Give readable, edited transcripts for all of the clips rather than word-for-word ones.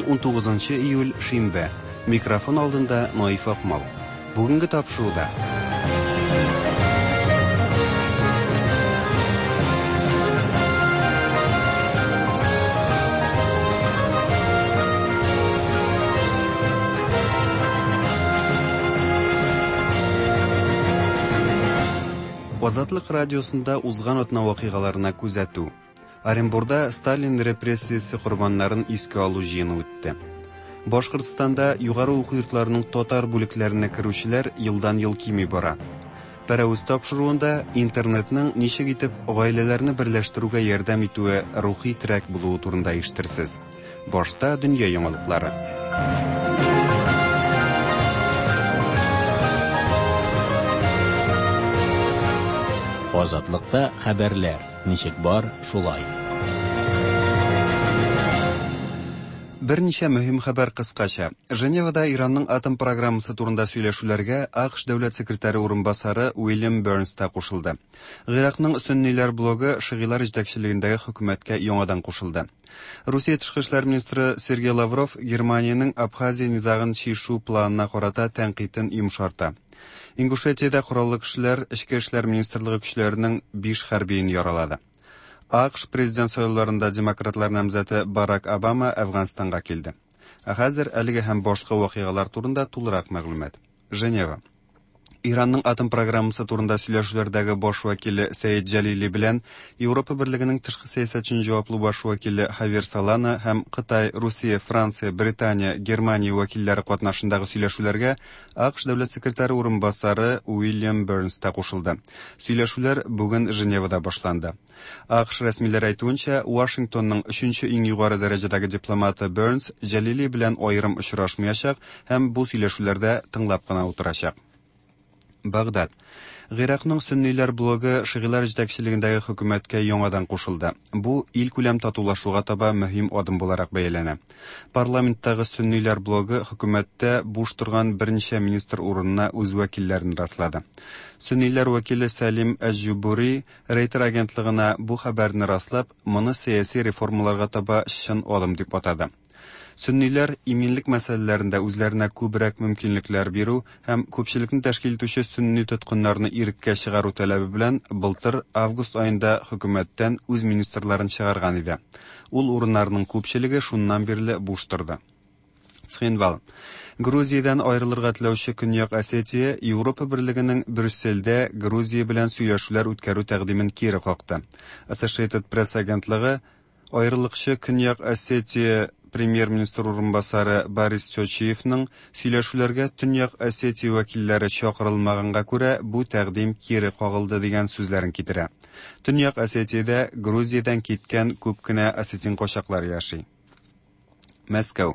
19 июль, шимбә. Микрофон алдында Наиф Акмал. Бүгенге тапшыруда Азатлык радиосында узган атна вакыйгаларына күзәтү. Оренбурда Сталин репрессиясе корбаннарын искә алу җыены үтте. Башкортстанда югары уку йортларының татар бүлекләренә керүчеләр елдан-ел кими бара. Пәрәвез тапшыруында интернетның ничек итеп гаиләләрне берләштерүгә ярдәм итүе рухи терәк булуы турында ишетерсез. Башта дөнья яңалыклары. Азатлыкта хәбәрләр ничек бар, шулай. Берничә мөһим хәбәр кыскача. Женевада Иранның атом программасы турында сөйләшүләргә АКШ дәүләт секретаре урынбасары Уильям Бернс та кушылды. Гыйракның сөнниләр блогы шигыйлар җитәкчелегендәге хөкүмәткә яңадан кушылды. Русия тышкы эшләр министры Сергей Лавров Германиянең Абхазия низагын чишү планына карата тәнкыйтен йомшарта. Ингушетиядә кораллы кешеләр Эчке эшләр министрлыгы көчләренең 5 хәрбиен яралады. АКШ президент сайлауларында демократлар намзәте Барак Обама Әфганстанга килде. Ә хәзер әлеге һәм башка вакыйгалар турында тулырак мәгълүмат. Женева. Иранның атом программасы турында сөйләшүләрдәге баш вәкиле Сәид Җәлили белән Европа Берлегенең тышкы сәясәт өчен җаваплы баш вәкиле Хавьер Солана һәм Кытай, Русия, Франция, Британия, Германия вәкилләре катнашындагы сөйләшүләргә АКШ дәүләт секретаре урынбасары Уильям Бернс та кушылды. Сөйләшүләр бүген Женевада башланды. АКШ рәсмиләре әйтүенчә, Вашингтонның өченче иң югары дәрәҗәдәге дипломаты Бернс Җәлили белән аерым очрашмаячак һәм бу сөйләшүләрдә тыңлап кына утырачак. Багдад. Гыйракның сөнниләр блогы шигыйлар җитәкчелегендәге хөкүмәткә яңадан кушылды. Бу илкүләм татулашуга таба мөһим адым буларак бәяләнә. Парламенттагы сөнниләр блогы хөкүмәттә буш торган берничә министр урынына үз вәкилләрен раслады. Сөнниләр вәкиле Сәлим Әҗ-Җубури Рейтер агентлыгына бу хәбәрне раслап, моны сәяси реформаларга таба чын адым дип атады. Сөнниләр иминлек мәсьәләләрендә үзләренә күбрәк мөмкинлекләр бирү һәм күпчелекне тәшкил итүче сөнни тоткыннарны иреккә чыгару таләбе белән былтыр август аенда хөкүмәттән үз министрларын чыгарган иде. Ул урыннарның күпчелеге шуннан бирле буш торды. Цхинвал. Грузиядән аерылырга теләүче Көньяк Осетия Европа Берлегенең Брюссельдә Грузия белән сөйләшүләр үткәрү тәкъдимен кире какты. Associated Press агентлыгы Аерылыкчы Көньяк Осетия премьер-министр урынбасары Борис Тёчиевның сөйләшүләргә Төньяк Осетия вәкилләре чакырылмаганга күрә бу тәкъдим кире кагылды дигән сүзләрен китерә. Төньяк Осетиядә Грузиядән киткән күп кенә осетин качаклар яши. Мәскәү.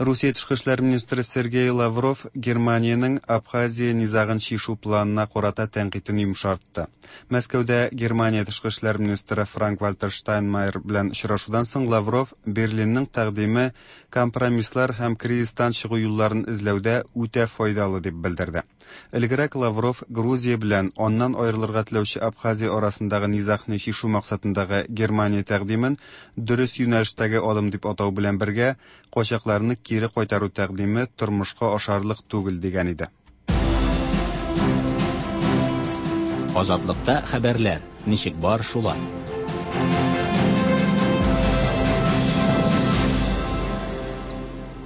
Русия тышкы эшләр министры Сергей Лавров Германиянең Абхазия низагын чишү планына карата тәнкыйтен йомшартты. Мәскәүдә Германия тышкы эшләр министры Франк-Вальтер Штайнмайер белән очрашудан соң Лавров Берлинның тәкъдиме компромисслар һәм кризистан чыгу юлларын эзләүдә үтә файдалы дип белдерде. Элегрәк Лавров Грузия белән аннан аерылырга теләүче Абхазия арасындагы низагны чишү максатындагы Германия тәкъдимен дөрес юнәлештәге адым дип атау белән бергә, качакларны кире кайтару тәкъдиме тормышка ашарлык түгел дигән иде. Азатлыкта хәбәрләр ничек бар, шулай.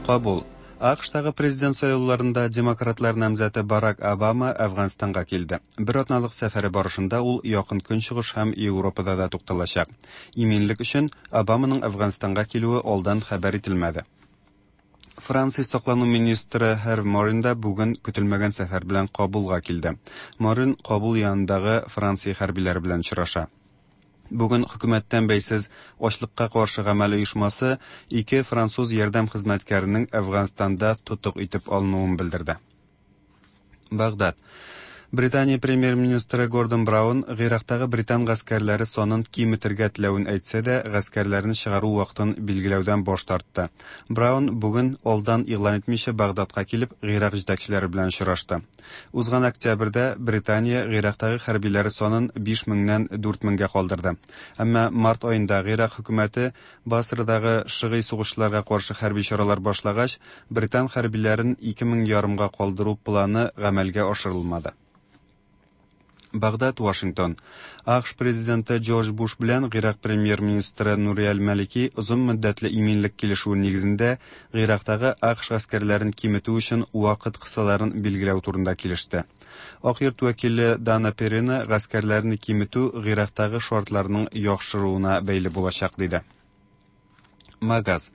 Кабул. АКШтагы президент сайлауларында демократлар намзәте Барак Обама Әфганстанга килде. Бер атналык сәфәре барышында ул Якын Көнчыгыш һәм Европада да тукталачак. Иминлек өчен Обаманың Әфганстанга килүе алдан хәбәр ителмәде. Франция саклану министры Һерв Морин да бүген көтелмәгән сәфәр белән Кабулга килде. Морин Кабул янындагы Франция хәрбиләре белән очраша. Бүген хөкүмәттән бәйсез ачлыкка каршы гамәл оешмасы ике француз ярдәм хезмәткәренең Әфганстанда тотык итеп алынуын белдерде. Багдад. Британия премьер-министры Гордон Браун Гыйрактагы британ гаскәрләре санын киметергә теләвен әйтсә дә, гаскәрләрне чыгару вакытын билгеләүдән баш тартты. Браун бүген алдан игълан итмичә Багдадка килеп, Гыйрак җитәкчеләре белән очрашты. Узган октябрьдә Британия Гыйрактагы хәрбиләре санын 5 меңнән 4 меңгә калдырды. Әмма март аенда Гыйрак хөкүмәте Басрадагы шыгый сугышчыларга каршы хәрби чаралар башлагач, британ хәрбиләрен 2 мең ярымга калдыру планы гамәлгә ашырылмады. Багдад, Вашингтон. АКШ президенты Джордж Буш белән Гыйрак премьер-министры Нури әл-Малики озын мөддәтле иминлек килешүе нигезендә Гыйрактагы АКШ гаскәрләрен киметү өчен вакыт кысаларын билгеләү турында килеште. Ак йорт вәкиле Дана Перина гаскәрләрне киметү Гыйрактагы шартларның яхшыруына бәйле булачак диде. Магаз.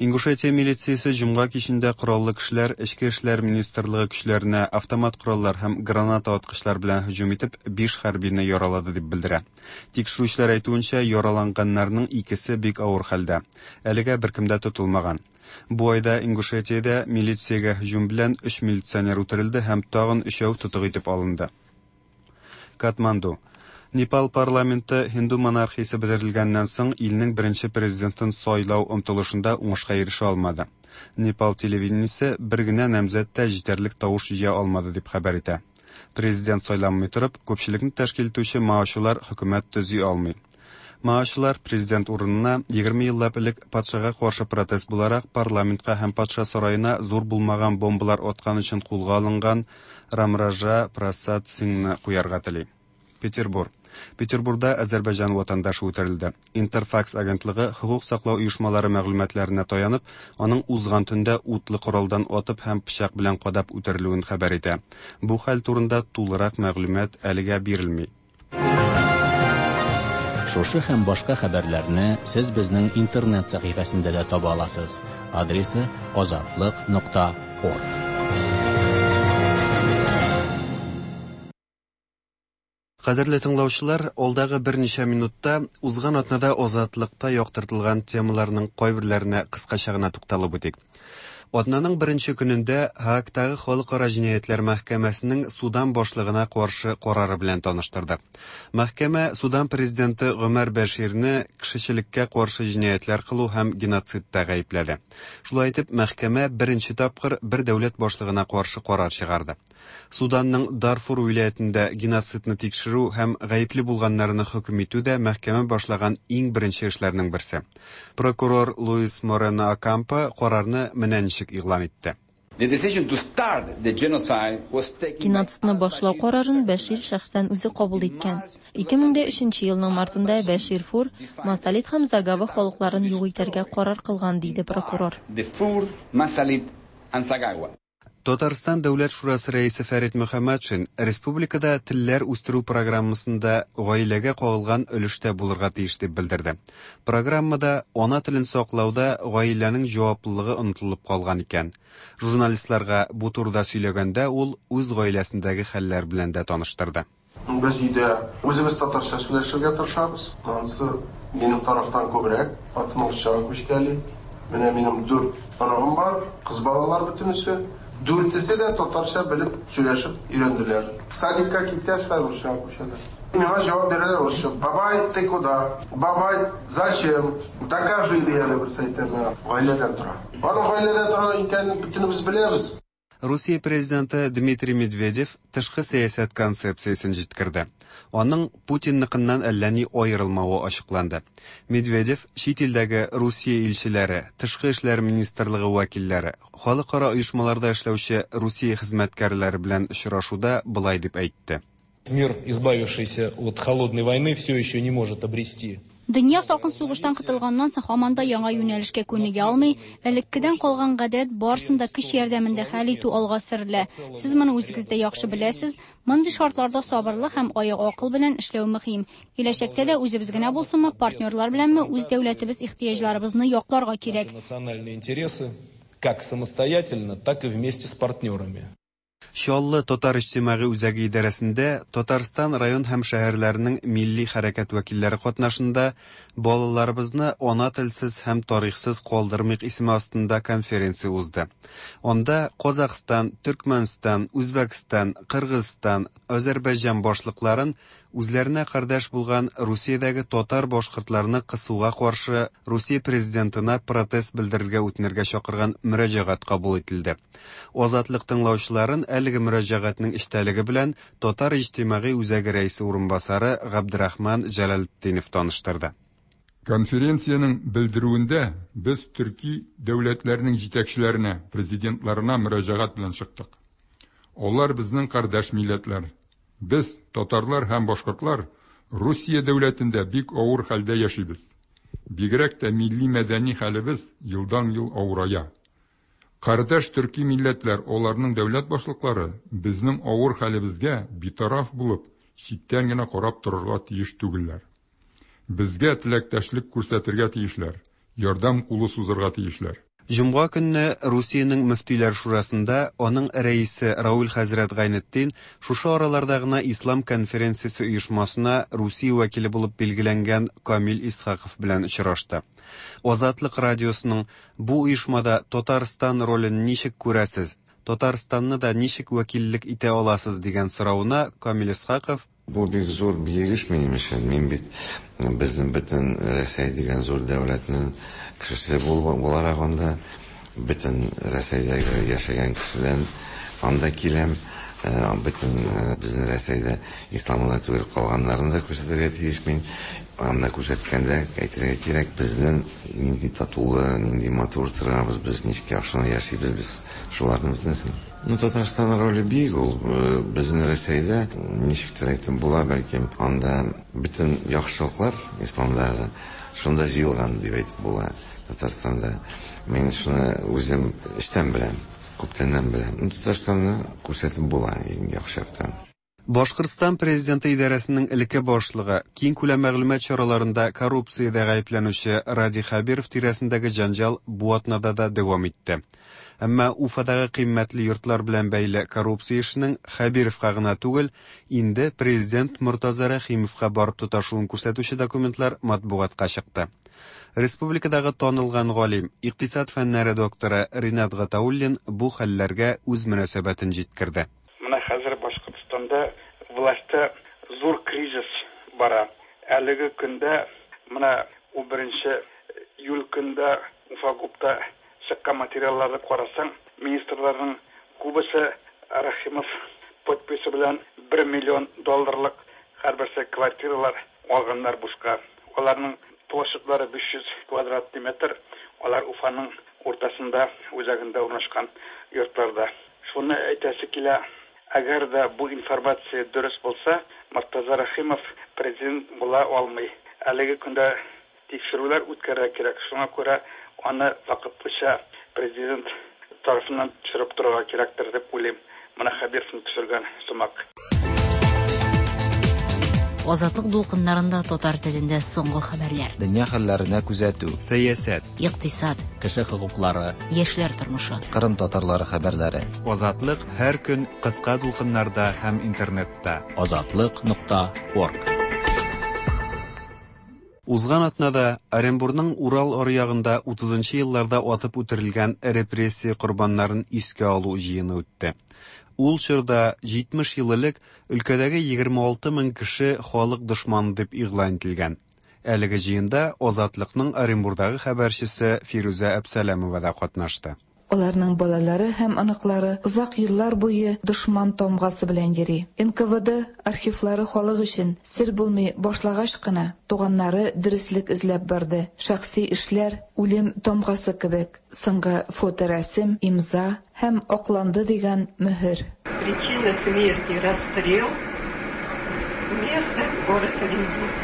Ингушетия милициясе җомга кичендә кораллы кешеләр Эчке эшләр министрлыгы көчләренә автомат кораллар һәм граната аткычлар белән һөҗүм итеп, биш хәрбине яралады дип белдерә. Тикшерүчеләр әйтүенчә, яраланганнарның икесе бик авыр хәлдә. Әлегә беркем дә тотылмаган. Бу айда Ингушетиядә милициягә һөҗүм белән өч милиционер үтерелде һәм тагын өчәү тотык итеп алынды. Катманду. Непал парламенты һинду монархиясе бетерелгәннән соң илнең беренче президентын сайлау омтылышында уңышка ирешә алмады. Непал телевидениесе бер генә намзәт тә җитәрлек тавыш җыя алмады дип хәбәр итә. Президент сайланмый торып, күпчелекне тәшкил итүче маочылар хөкүмәт төзи алмый. Маочылар президент урынына 20 еллап элек патшага каршы протест буларак парламентка һәм патша сараена зур булмаган бомбалар аткан өчен кулга алынган Рамража Прасад Сингны куярга тели. Петербур. Петербурда Азәрбайҗан ватандашы үтерелде. Интерфакс агентлыгы хокук саклау оешмалары мәгълүматларына таянып, аның узган төндә утлы коралдан атып һәм пычак белән кадап үтерелүен хәбәр итә. Бу хәл турында тулырак мәгълүмат әлегә бирелми. Шушы һәм башка хәбәрләрне сез безнең интернет сәхифәсендә дә таба аласыз. Адресы azatliq.org. Кадерле тыңлаучылар, алдагы берничә минутта узган атнада Азатлыкта яктыртылган темаларның кайберләренә кыскача гына тукталып үтик. Атнаның беренче көнендә Һаагтагы Халыкара җинаятьләр мәхкәмәсенең Судан башлыгына каршы карары белән таныштырды. Мәхкәмә Судан президенты Гомәр Бәширне кешечелеккә каршы җинаятьләр кылу һәм геноцидта гаепләде. Шулай итеп, мәхкәмә беренче тапкыр бер дәүләт башлыгына каршы карар чыгарды. Суданның Дарфур вилаятендә геноцидны тикшерү һәм гаепле булганнарны хөкем итү дә мәхкәмә башлаган иң беренче эшләрнең берсе. Прокурор Луис Морено Окампо карарны менә ничек игълан итте. Геноцидны башлау карарын Бәшир шәхсән үзе кабул иткән. 2003 елның мартында Бәшир Фур, Масалит һәм Загава халыкларын юк итәргә карар кылган, диде прокурор. Татарстан Дәүләт шурасы рәисе Фәрит Мөхәммәтшин республикада телләр үстерү программасында гаиләгә кагылган өлеш тә булырга тиеш дип белдерде. Программада ана телен саклауда гаиләнең җаваплылыгы онытылып калган икән. Журналистларга бу турыда сөйләгәндә ул үз гаиләсендәге хәлләр белән дә таныштырды. Без өйдә үзебез татарча сөйләшергә тырышабыз. Анысы минем тарафтан күбрәк, хатын урысчага күчкәли. Менә минем дүрт оныгым бар, кыз балалар бөтенесе. Дүртесе дә татарча белеп сөйләшеп өйрәнделәр. Садикка киткәч, хәзер урысчага күчәләр. Миңа җавап бирәләр урысча. Бабай, ты куда? Бабай, зачем? Докажи, ди әле берсе әйтә миңа. Гаиләдән тора. Аның гаиләдә тора икәнен бөтенебез беләбез. Русия президенты Дмитрий Медведев тышкы сәясәт концепциясен җиткерде. Аның Путинныкыннан әллә ни аерылмавы ачыкланды. Медведев чит илдәге Русия илчеләре, тышкы эшләр министрлыгы вәкилләре, халыкара оешмаларда эшләүче Русия хезмәткәрләре белән очрашуда болай дип әйтте. Мир, избавившийся от холодной войны, все еще не может обрести. Дөнья салкын сугыштан котылганнан соң һаман да яңа юнәлешкә күнегә алмый. Элеккедән калган гадәт барысын да көч ярдәмендә хәл итү алга сөрелә. Сез моны үзегез дә яхшы беләсез. Мондый шартларда сабырлык һәм аек акыл белән эшләү мөһим. Киләчәктә дә үзебез генә булсынмы, партнерлар беләнме, үз дәүләтебез ихтыяҗларыбызны якларга кирәк. Национальные интересы как самостоятельно, так и вместе с партнерами. Чаллы татар иҗтимагый үзәге идарәсендә Татарстан район һәм шәһәрләренең милли хәрәкәт вәкилләре катнашында Балаларыбызны ана телсез һәм тарихсыз калдырмыйк исеме астында конференция узды. Анда Казахстан, Төркмәнстан, Үзбәкстан, Кыргызстан, Азәрбайҗан башлыкларын үзләренә кардәш булган Русиядәге татар-башкортларны кысуга каршы Русия президентына протест белдерергә үтенергә чакырган мөрәҗәгать кабул ителде. Азатлык тыңлаучыларын әлеге мөрәҗәгатьнең эчтәлеге белән Татар иҗтимагый үзәге рәисе урынбасары Габдрахман Җәләлетдинов таныштырды. Конференциянең белдерүендә без төрки дәүләтләрнең җитәкчеләренә, президентларына мөрәҗәгать белән чыктык. Алар безнең кардәш милләтләр. Без, татарлар һәм башкортлар, Русия дәүләтендә бик авыр хәлдә яшибез. Бигрәк тә милли-мәдәни хәлебез елдан-ел авырая. Кардәш төрки милләтләр, аларның дәүләт башлыклары безнең авыр хәлебезгә битараф булып, читтән генә карап торырга тиеш түгелләр. Безгә теләктәшлек күрсәтергә тиешләр, ярдәм кулы сузырга тиешләр. Җомга көнне Русиянең мөфтиләр шурасында аның рәисе Равил хәзрәт Гайнетдин шушы араларда гына Ислам конференциясе оешмасына Русия вәкиле булып билгеләнгән Камил Исхаков белән очрашты. Азатлык радиосының бу оешмада Татарстан ролен ничек күрәсез, Татарстанны да ничек вәкиллек итә аласыз дигән соравына Камил Исхаков, Бу бик зур биек эш минем өчен. Мин бит безнең бөтен Рәсәй дигән зур дәүләтнең кешесе буларак анда бөтен Рәсәйдәге яшәгән кешедән анда киләм. Бөтен безнең Рәсәйдә ислам гына түгел, калганнарын да күрсәтергә тиеш мин. Анда күрсәткәндә әйтергә кирәк, безнең нинди татулы, нинди матур торабыз, без ничек яхшы яшибез без шуларның бөтенесен. Ну, Татарстан роле бик ул безнең Рәсәйдә ничектер әйтеп була, бәлкем анда бөтен яхшылыклар исламдагы шунда җыелган дип әйтеп була Татарстанда. Мин шуны үзем эчтән беләм, күптәннән беләм. Ну, Татарстанны күрсәтеп була иң яхшы яктан. Башкортстан президенты идарәсенең элекке башлыгы, киңкүләм мәгълүмат чараларында коррупциядә гаепләнүче Радий Хәбиров тирәсендәге җәнҗал бу атнада да дәвам итте. Әмма Уфадагы кыйммәтле йортлар белән бәйле коррупция эшенең Хәбировка гына түгел, инде президент Мортаза Рәхимовка барып тоташуын күрсәтүче документлар матбугатка чыкты. Республикадагы танылган галим, икътисад фәннәре докторы Ринат Гатауллин бу хәлләргә үз мөнәсәбәтен җиткерде. Менә хәзер Башкортстанда властьта зур кризис бара. Әлеге көндә менә 11 июль көндә Уфагупта чыккан материалларны карасаң, министрларның күбесе Рәхимов подписе белән 1 миллион долларлык һәрберсе квартиралар алганнар бушка. Аларның площадьлары 500 квадратный метр, алар Уфаның уртасында, үзәгендә урнашкан йортларда. Шуны әйтәсе килә, әгәр дә бу информация дөрес булса, Мортаза Рәхимов президент була алмый. Әлеге көндә тикшерүләр үткәрергә кирәк. Шуңа күрә аны вакытлыча президент тарафыннан төшереп торырга кирәктер дип уйлыйм. Менә Хәбировны төшергән сымак. Азатлык дулкыннарында татар телендә соңгы хәбәрләр. Дөнья хәлләренә күзәтү. Сәясәт. Икътисад. Кеше хокуклары. Яшьләр тормышы. Кырым татарлары хәбәрләре. Азатлык һәр көн кыска дулкыннарда һәм интернетта. Азатлык.орг. Узган атнада Оренбурның Урал аръягында 30 елларда атып үтерелгән репрессия корбаннарын искә алу җыены үтте. Ул чорда 70 ел элек өлкәдәге 26 мең кеше халык дошманы дип игълан ителгән. Әлеге җыенда Азатлыкның Оренбурдагы хәбәрчесе Фирүзә Әбсәләмова да катнашты. Аларның балалары һәм оныклары озак еллар буе дошман тамгасы белән йөри. НКВД архивлары халык өчен сер булмый башлагач кына туганнары дөреслек эзләп барды. Шәхси эшләр үлем тамгасы кебек, соңгы фоторәсем, имза һәм акланды дигән мөһер. Причина смерти расстрел. Место город Оренбург.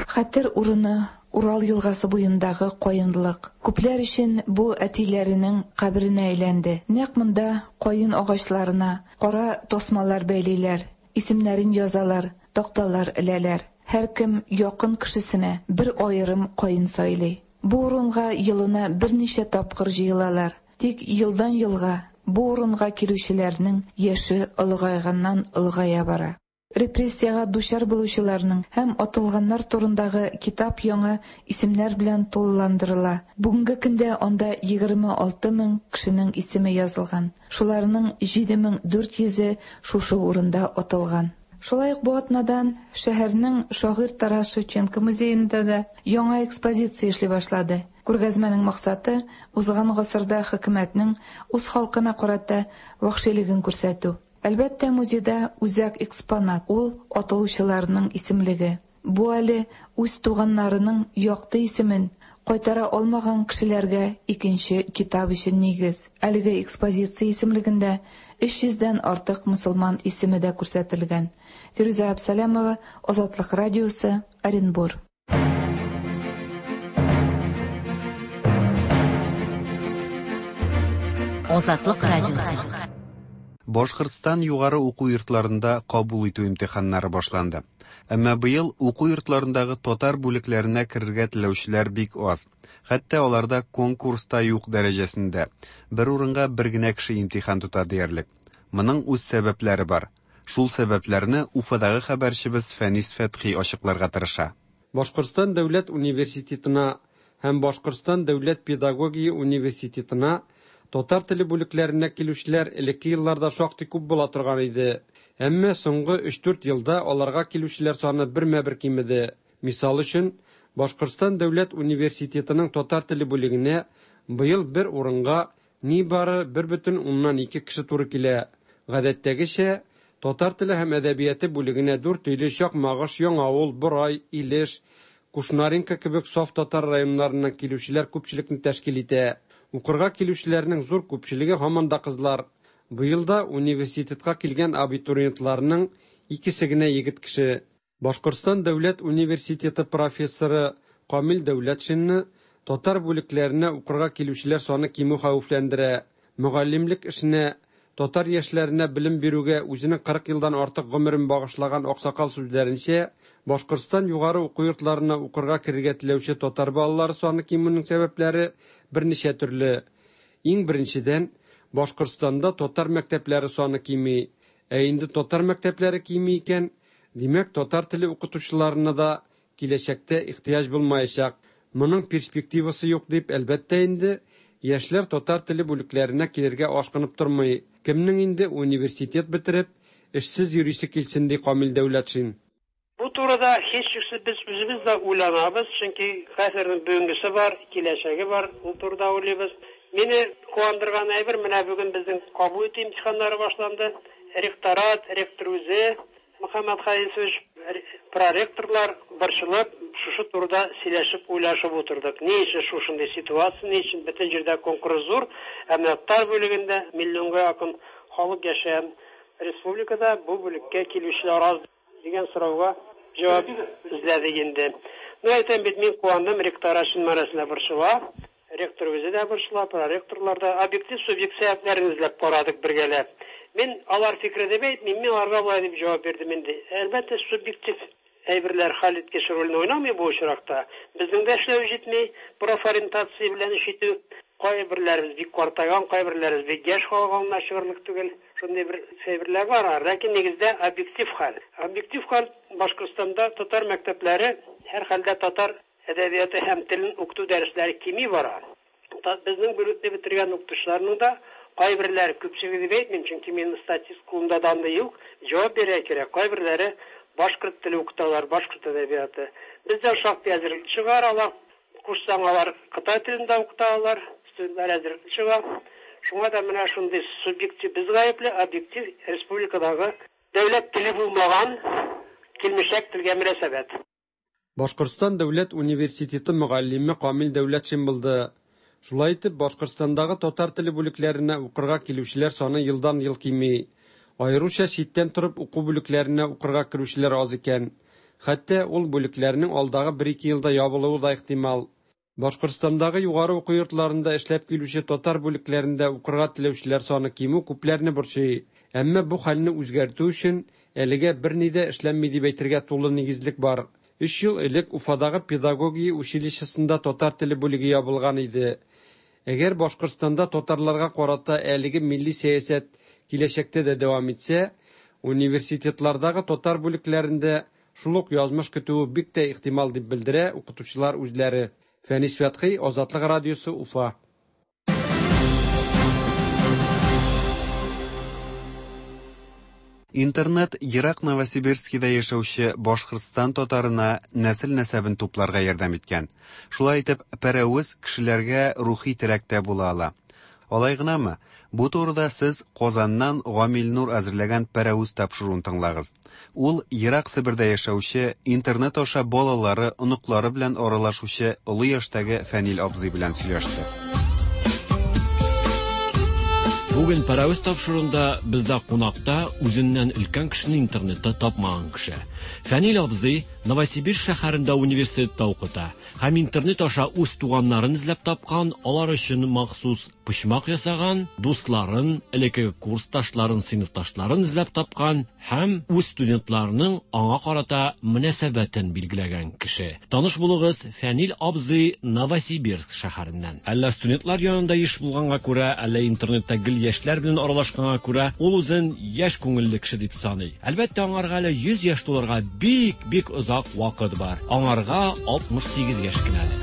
Хәтер урыны Урал елгасы буендагы каенлык. Күпләр өчен бу әтиләренең каберенә әйләнде. Нәкъ монда каен агачларына кара тасмалар бәйлиләр, исемнәрен язалар, такталар эләләр. Һәркем якын кешесенә бер аерым каен сайлый. Бу урынга елына берничә тапкыр җыелалар. Тик елдан елга бу урынга килүчеләрнең яше олыгайганнан олыгая бара. Репрессиягә дучар булучыларның һәм атылганнар турындагы китап яңа исемнәр белән тулыландырыла. Бүгенге көндә анда 26 мең кешенең исеме язылган. Шуларның 7400-е шушы урында атылган. Шулай ук бу атнадан шәһәрнең шагыйрь Тарас Шевченко музеенда да яңа экспозиция эшли башлады. Күргәзмәнең максаты узган гасырда хөкүмәтнең үз халкына карата вәхшилеген күрсәтү. Әлбәттә, музейда үзәк экспонат ул атылучыларның исемлеге. Бу әле үз туганнарының якты исемен кайтара алмаган кешеләргә икенче китап өчен нигез. Әлеге экспозиция исемлегендә 300 дән артык мөселман исеме дә күрсәтелгән. Фирүзә Әбсәләмова, Азатлык радиосы, Оренбур. Азатлык радиосы. Башкортстан югары уку йортларында кабул итү имтиханнары башланды. Әмма быел уку йортларындагы татар бүлекләренә керергә теләүчеләр бик аз. Хәтта аларда конкурс та юк дәрәҗәсендә. Бер урынга бер генә кеше имтихан тота диярлек. Моның үз сәбәпләре бар. Шул сәбәпләрне Уфадагы хәбәрчебез Фәнис Фәтхи ачыкларга тырыша. Башкортстан дәүләт университетына һәм Башкортстан дәүләт педагогия университетына татар теле бүлекләренә килүчеләр элекке елларда шактый күп була торган иде. Әмма соңгы 3-4 елда аларга килүчеләр саны бермә-бер кимеде. Мисал өчен, Башкортстан дәүләт университетының татар теле бүлегенә быел бер урынга нибары 1,2 кеше туры килә. Гадәттәгечә, татар теле һәм әдәбияты бүлегенә Дүртөйле, Чакмагыш, Яңавыл, Борай, Илеш, Кушнаренко кебек саф татар районнарыннан килүчеләр күпчелекне тәшкил итә. Укырга килүчеләрнең зур күпчелеге һаман да кызлар. Быел да университетка килгән абитуриентларның икесе генә егет кеше. Башкортстан дәүләт университеты профессоры Камил Дәүләтшинны татар бүлекләренә укырга килүчеләр саны кимү хәвефләндерә. Мөгаллимлек эшенә, татар яшьләренә белем бирүгә үзенең 40 елдан артык гомерен багышлаган аксакал сүзләренчә, Башкортстан югары уку йортларына укырга керергә теләүче татар балалары саны кимүнең сәбәпләре берничә төрле. Иң беренчедән, Башкортстанда татар мәктәпләре саны кими. Ә инде татар мәктәпләре кими икән, димәк, татар теле укытучыларына да киләчәктә ихтыяҗ булмаячак. Моның перспективасы юк дип, әлбәттә инде, яшьләр татар теле бүлекләренә килергә ашкынып тормый. Кемнең инде университет бетереп, эшсез йөрисе килсен, ди Камил Дәүләтшин. Бу турыда һичшиксез без үзебез дә уйланабыз, чөнки хәзернең бүгенгесе бар, киләчәге бар, ул турыда уйлыйбыз. Мине куандырган әйбер, менә бүген безнең кабул итү имтиханнары башланды. Ректорат, ректор үзе, Мөхәммәт Харисович, проректорлар борчылып, шушы турыда сөйләшеп, уйлашып утырдык. Ни өчен шушындый ситуация, ни өчен бөтен җирдә конкурс зур, ә менә татар бүлегендә миллионга якын халык яшәгән республикада бу бүлеккә килүчеләр аз дигән сорауга җавап эзләдек инде. Ну, әйтәм бит, мин куандым, ректорат чын мәгънәсендә борчыла. Ректор үзе дә борчыла, проректорлар да. Объектив, субъектив сәбәпләрен эзләп карадык бергәләп. Мин алар фикере дип әйтмим, мин аларга болай дип җавап бирдем инде. Әлбәттә, субъектив әйберләр хәл иткеч рольне уйнамый бу очракта. Безнең дә эшләү җитми, профориентация белән эш итү. Кайберләребез бик картайган, кайберләребез бик яшь халык аңына чыгырлык түгел. Шундый бер әйберләр бар, ләкин нигездә объектив хәл. Объектив хәл Башкортстанда татар мәктәпләре һәрхәлдә татар әдәбияты һәм телен укыту дәресләре кими бара. Безнең бүлекне бетергән укытучыларның да кайберләре, күпчелеге дип әйтмим, чөнки минем статист кулымда данный юк, җавап бирергә кирәк. Кайберләре башкорт теле укыталар, башкорт әдәбияты. Бездән шактый әзерлек чыгаралар. Кушсаң, алар кытай телендә укыта алар, студентлар әзерлек чыга. Шуңа да менә шундый субъектив без гаепле, объектив республикадагы дәүләт теле булмаган килмешәк телгә мөнәсәбәт. Башкортстан дәүләт университеты мөгаллиме Камил Дәүләтшин булды. Шулай итеп, Башкортстандагы татар теле бүлекләренә укырга килүчеләр саны елдан-ел кими. Аеруча читтән торып уку бүлекләренә укырга керүчеләр аз икән. Хәтта ул бүлекләрнең алдагы бер-ике елда ябылуы да ихтимал. Башкортстандагы югары уку йортларында эшләп килүче татар бүлекләрендә укырга теләүчеләр саны кимү күпләрне борчый. Әмма бу хәлне үзгәртү өчен әлегә берни дә эшләнми дип әйтергә тулы нигезлек бар. Өч ел элек Уфадагы педагогия училищесында татар теле бүлеге ябылган иде. Әгәр Башкортстанда татарларга карата әлеге милли сәясәт киләчәктә дә дәвам итсә, университетлардагы татар бүлекләрендә шул ук язмыш көтүе бик тә ихтимал, дип белдерә укытучылар үзләре. Фәнис Фәтхи, Азатлык радиосы, Уфа. Интернет ерак Новосибирскида яшәүче Башкортстан татарына нәсел-нәсәбен тупларга ярдәм иткән. Шулай итеп, пәрәвез кешеләргә рухи терәк тә була ала. Алай гынамы? Бу турыда сез Казаннан Гамил Нур әзерләгән Пәрәвез тапшыруын тыңлагыз. Ул ерак Себердә яшәүче, интернет аша балалары, оныклары белән аралашучы олы яшьтәге Фәнил абзый белән сөйләште. Бүген Пәрәвез тапшыруында бездә кунакта үзеннән өлкән кешене интернетта тапмаган кеше. Фәнил абзый Новосибирск шәһәрендә университетта укыта һәм интернет аша үз туганнарын эзләп тапкан, алар өчен махсус почмак ясаган, дусларын, элеккеге курсташларын, сыйныфташларын эзләп тапкан һәм үз студентларының аңа карата мөнәсәбәтен билгеләгән кеше. Таныш булыгыз, Фәнил абзый Новосибирск шәһәреннән. Әллә студентлар янында еш булганга күрә, әллә интернетта гел яшьләр белән аралашканга күрә, ул үзен яшь күңелле кеше дип саный. Әлбәттә, аңарга әле 100 яшь тулырга бик-бик озак вакыт бар. Аңарга 68 яшь кенә әле.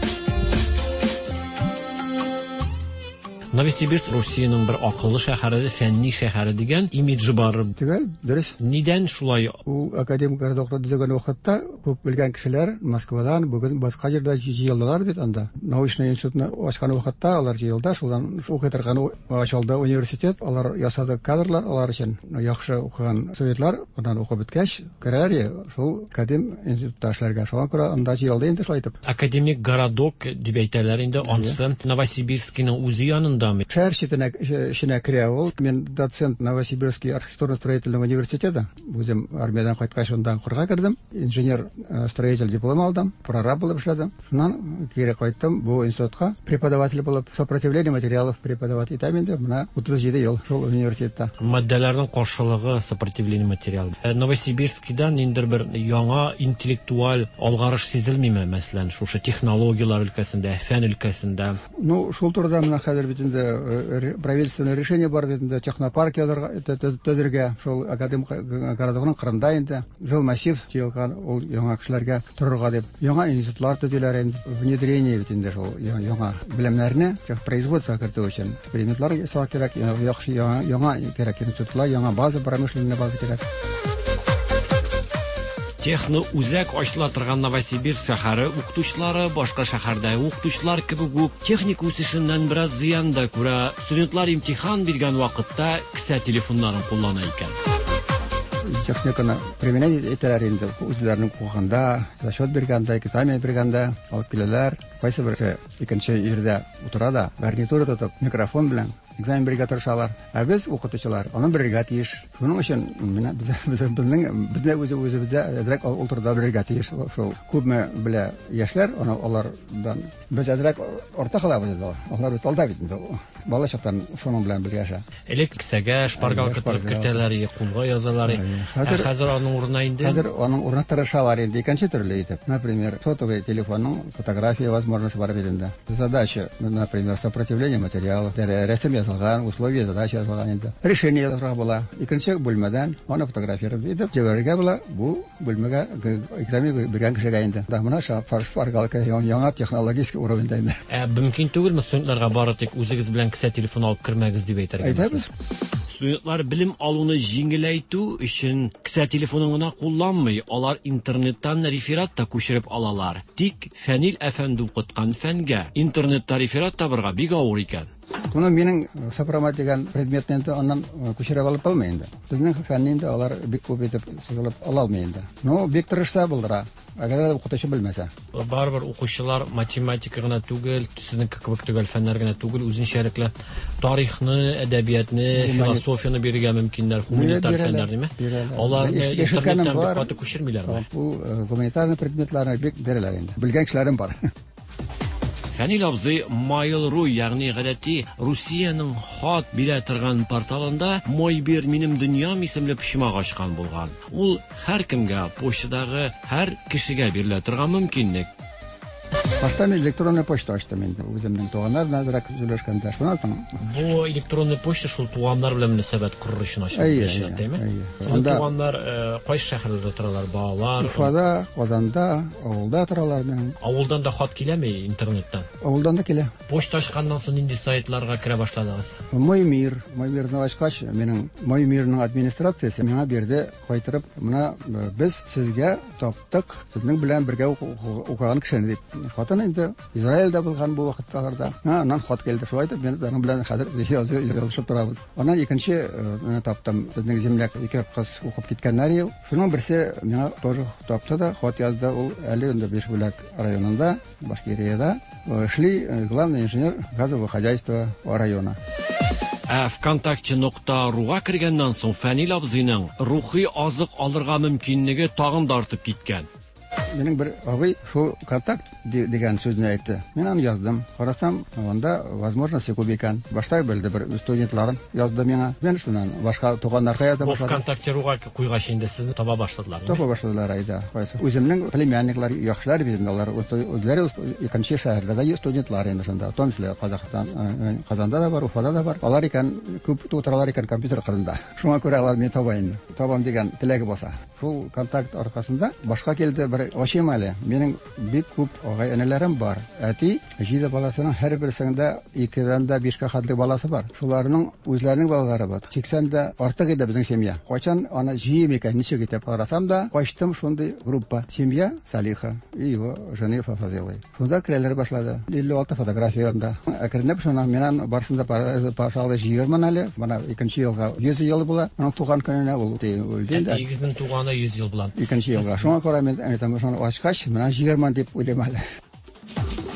Новосибирск Русиянең бер акыллы шәһәре, фәнни шәһәре дигән имиджы бар. Төгәл, дөрес. Нидән шулай? Ул академик городокны төзегән вакытта күп белгән кешеләр Москвадан, бүген башка җирдә җыелдылар бит анда. Научный институтны ачкан вакытта алар җыелды, шуннан укый торган ачылды университет, алар ясады кадрлар алар өчен. Яхшы укыган студентлар, аннан укып беткәч, керәләр шул академ институтта эшләргә. Шуңа күрә анда җыелды инде шулай итеп. Академик городок дип әйтәләр инде, ансы Новосибирскийның үзе янындамы? Шәһәр читенә эченә керә ул. Мин доцент Новосибирский архитектурно-строительного университета. Үзем армиядән кайткач шунда укырга кердем. Инженер строитель диплом алдым, прораб булып эшләдем. Шуннан кире кайттым бу институтка преподаватель булып, сопротивление материалов преподавать итәм инде менә 37 ел шул университетта. Матдәләрнең каршылыгы сопротивление материал. Новосибирскидан ниндидер бер яңа интеллектуаль алгарыш сизелмиме, мәсәлән, шушы технологияләр өлкәсендә, фән өлкәсендә? Ну, шул турыда менә хәзер бит инде правительственное решение бар бит инде технопарк язарга төзергә, шул академ городокның кырында инде жилмассив җыелган ул яңа кешеләргә торырга дип. Яңа институтлар төзиләр инде, внедрение бит инде шул яңа белемнәрне техпроизводствога кертү өчен экспериментлар ясау кирәк, яхшы яңа кирәк институтлар, яңа база, промышленный база кирәк. Техно үзәк ачыла торган Новосибирск шәһәре укытучылары башка шәһәрдәге укытучылар кебек үк техник үсешеннән бераз зыян да күрә. Студентлар имтихан биргән вакытта кесә телефоннарын куллана икән. Техниканы применять итәләр инде үзләренең укыганда, зачет биргәндә, экзамен биргәндә алып киләләр. Кайсы берсе икенче җирдә утыра да, гарнитура тотып, микрофон белән экзамен бирергә тырышалар. Ә без, укытучылар, аны бирергә тиеш. Шуның өчен менә безнең бездә үзе үзебездә әзрәк ул турыда белергә тиеш. Шул күпме белә яшьләр, аны алардан без әзрәк артта калабыз инде. Алар бит алда бит инде. Бала чактан шуның белән бергә яшә. Элек кесәгә шпаргалка тыгып кертәләр, кулга язалар. Ә хәзер аның урынына инде Хәзер аның урынына тырышалар инде икенче төрле итеп. Например, сотовый телефонның фотография возможности бар бит инде. Задача, например, сопротивление материалов, рәсем язылган, условия задача язылган инде. Решение язырга була. Икенче бүлмәдән аны фотографировать итеп җибәрергә була. Бу бүлмәгә экзамен биргән кешегә инде. Да менә шпаргалка яңа технологический уровеньда инде. Ә мөмкин түгелме студентларга бары тик үзегез белән кесә телефон алып кермәгез дип әйтергә? Әйтәбез. Студентлар белем алуны җиңеләйтү өчен кесә телефонын гына кулланмый, алар интернеттан реферат та күчереп алалар. Тик Фәнил әфәнде укыткан фәнгә интернетта реферат табырга бик авыр икән. Моны минем сопромат дигән предметны инде аннан күчереп алып булмый инде. Безнең фәнне инде алар бик күп итеп сызылып ала алмый инде. Ну, бик тырышса булдыра. Әгәр дә укытучы белмәсә. Барыбер укучылар математика гына түгел, сезнең кебек төгәл фәннәр генә түгел, үзенчәлекле тарихны, әдәбиятны, философияне бирергә мөмкиннәр, гуманитар фәннәр, димме? Аларны интернеттан бик каты күчермиләрме? Ул гуманитар предметларны бик бирәләр инде. Белгән кешеләрем бар. Фәнил абзый Mail.ru, ягъни гадәти Русиянең хат бирә торган порталында Мой бир минем дөньям исемле почмак ачкан булган. Ул һәркемгә, почтадагы һәр кешегә бирелә торган мөмкинлек. Башта мин электронный почта ачтым инде. Үземнең туганнар белән әзрәк сөйләшкәндә. Шуннан соң Бу электронный почта шул туганнар белән мөнәсәбәт корыр өчен ачылды, Әйе, әйе, әйе, әйе. Сезнең Анда- туганнар кайсы шәһәрләрдә торалар? Балалар? Уфада, Казанда, авылда торалар минем. Авылдан да хат киләме интернеттан? Авылдан да килә. Почта ачканнан соң нинди сайтларга керә башладыгыз? Мой мир, Мой мирны ачкач, минем Мой мирның администрациясе миңа бирде, кайтырып, менә без сезгә таптык, сезнең белән бергә укыган кешене дип. Хатын инде Израильдә булган бу вакытларда. Аннан хат килде. Шулай итеп, мин аның белән хәзер язышып торабыз. Аннан икенче таптым. Безнең земляк ике кыз укып киткәннәр ел. Шуның берсе миңа тоже тапты да, хат язды. Ул әле инде Бишбүләк районында, Башкириядә эшли, главный инженер газового хозяйства района. Ә ВКонтакте нокта руга кергәннән соң Фәнил абзыйның рухи азык алырга мөмкинлеге тагын да артып киткән. Минем бер абый шул контакт дигән сүзне әйтте. Мин аны яздым. Карасам, анда возможности күп икән. Башта белде бер студентларын язды миңа. Мин шуннан башка туганнарга яза Бу башладым. ВКонтакте руга куйгач инде сезне таба башладылар. Таба башладылар айда. Кайсы. Үземнең племянниклар яхшылар бит инде алар. Үзләре икенче шәһәрләрдә студентлар инде шунда. В том числе Казахстан, Казанда да бар, Уфада да бар. Алар икән күп утыралар икән компьютер кырында. Шуңа күрә алар мине таба инде. Табам дигән теләге булса. Шул контакт аркасында башка килде бер ачыйм әле. Минем бик күп агай-энеләрем бар. Әти җиде баласының һәрберсендә 2-дән дә 5-кә хәтле баласы бар. Шуларның үзләренең балалары бар. 80 дә артык иде безнең семья. Кайчан аны җыйым икән, ничек итеп карасам да, качтым шундый группа. Семья Салиха и его жены Фазилы. Шунда керәләр башлады. 56 фотография анда. Әкренләп шуны мин барсын да пашалды җыйырмын әле. Менә икенче елга 100 ел була. Аның туган көненә ул үлде инде. Әтиегезнең туганы 100 ел була. Икенче елга. Шуңа күрә мин әйтәм, шуны ачкач, менә җыйырмын дип уйлыйм әле.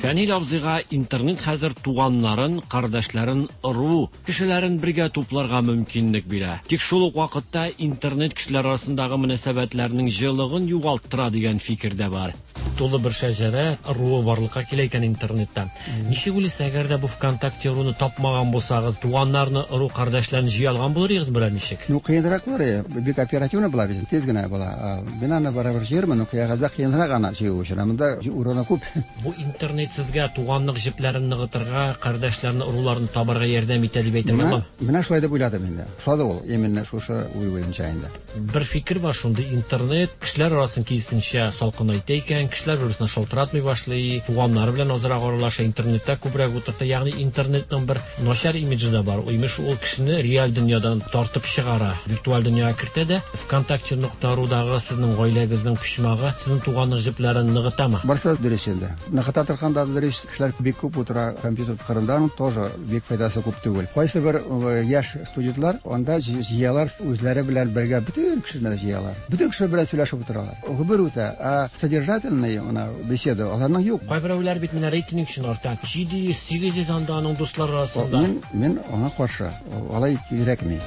Фәнил абзыйга интернет хәзер туганнарын, кардәшләрен, ыру кешеләрен бергә тупларга мөмкинлек бирә. Тик шул ук вакытта интернет кешеләр арасындагы мөнәсәбәтләрнең җылыгын югалттыра дигән фикер дә бар. Тулы бер шәҗәрә ыруы барлыкка килә икән интернетта. Ничек уйлыйсыз, әгәр дә бу ВКонтакте ыруны тапмаган булсагыз, туганнарны, ыру кардәшләрен җыя алган булыр идегез берәр ничек? Ну, кыенрак булыр, бик оперативно була бит, тиз генә була. Мин аны барыбер җыярмын, но кыягазда кыенрак аны җыю өчен. Монда урыны күп. Бу интернет сезгә туганлык җепләрен ныгытырга, кардәшләрне, ыруларны табарга ярдәм итә дип әйтергә буламы? Менә шулай дип уйладым инде. Ошады ул, именно шушы уй буенча инде. Бер фикер бар шундый, интернет кешеләр арасын киресенчә салкынайта икән, кешеләр бер-берсенә шалтыратмый башлый, туганнары белән азрак аралаша, интернетта күбрәк утырта. Ягъни интернетның бер начар имиджы да бар. Имеш, ул кешене реаль дөньядан тартып чыгара, виртуаль дөньяга кертә дә. ВКонтакте нокта рудагы сезнең гаиләгезнең почмагы сезнең туганлык җепләрен ныгытамы? Барсы дөрес инде. Ныгыта торган да дөрес, кешеләр бик күп утыра компьютер кырында, аның тоже бик файдасы күп түгел. Кайсы бер яшь студентлар анда җыялар үзләре белән бергә бөтен кешене җыялар. Бөтен кеше белән сөйләшеп утыралар. Гомер үтә, ә содержательный менә беседа аларның юк. Кайберәүләр бит менә рейтинг өчен арта. 700, 800 анда аның дуслары арасында. Мин аңа каршы. Алай кирәкми.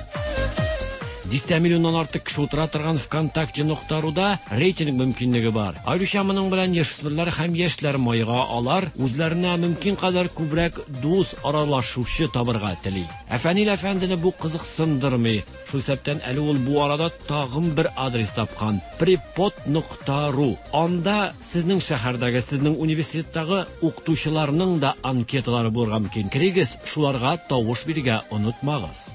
Дистә миллионнан артык кеше утыра торган ВКонтакте нокта руда рейтинг мөмкинлеге бар. Аеруча моның белән яшүсмерләр һәм яшьләр майга алар үзләренә мөмкин кадәр күбрәк дус аралашучы табырга тели. Ә Фәнил әфәндене бу кызыксындырмый. Шул исәптән әле ул бу арада тагын бер адрес тапкан: препод нокта ру. Анда сезнең шәһәрдәге, сезнең университеттагы укытучыларның да анкеталары булырга мөмкин. Керегез, шуларга тавыш бирергә онытмагыз.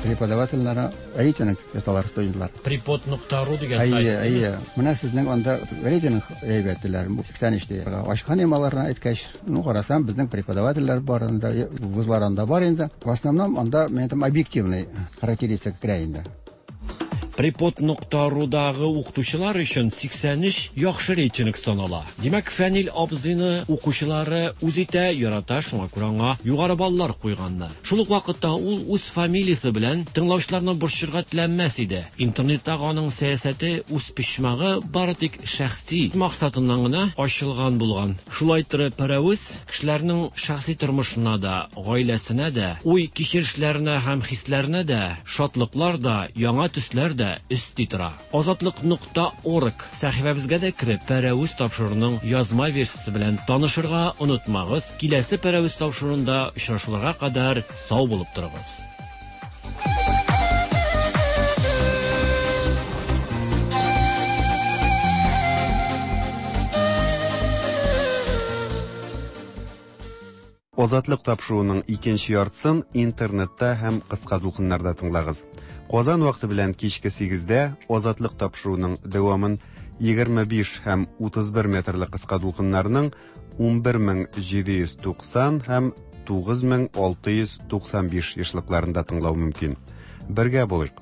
Преподавательләре рейтинг яталар студентлар. Препод нокта ру дигән сайт. Әйе, әйе. Менә сезнең анда рейтинг әйбәт диләр. Бу 83 ди. Ачкан идем аларны әйткәч, ну карасам, безнең преподавательләр бар анда, вузлар анда бар инде. В основном анда мен әйтәм объективный характеристика керә инде. Препод нокта рудагы укытучылар өчен 83 яхшы рейтинг санала. Димәк, Фәнил абзыйны укучылары үз итә, ярата, шуңа күрә аңа югары баллар куйганнар. Шул ук вакытта ул үз фамилиясе белән тыңлаучыларны борчырга теләмәс иде. Интернеттагы аның сәясәте үз почмагы бары тик шәхси максатыннан гына ачылган булган. Шулай торып, Пәрәвез кешеләрнең шәхси тормышына да, гаиләсенә дә, уй кичерешләренә һәм хисләренә дә, шатлыклар да, яңа төсләр дә өсти тора. Азатлык нокта орг сәхифәбезгә дә кереп, Пәрәвез тапшыруының язма версиясе белән танышырга онытмагыз. Киләсе Пәрәвез тапшыруында очрашуларга кадәр сау булып торыгыз. Азатлык тапшыруының икенче яртысын интернетта һәм кыска дулкыннарда тыңлагыз. Казан вакыты белән кичке 8-дә Азатлык тапшыруының дәвамын 25 һәм 31 метрлы кыска дулкыннарның 11790 һәм 9695 ешлыкларында тыңлау мөмкин. Бергә булыйк!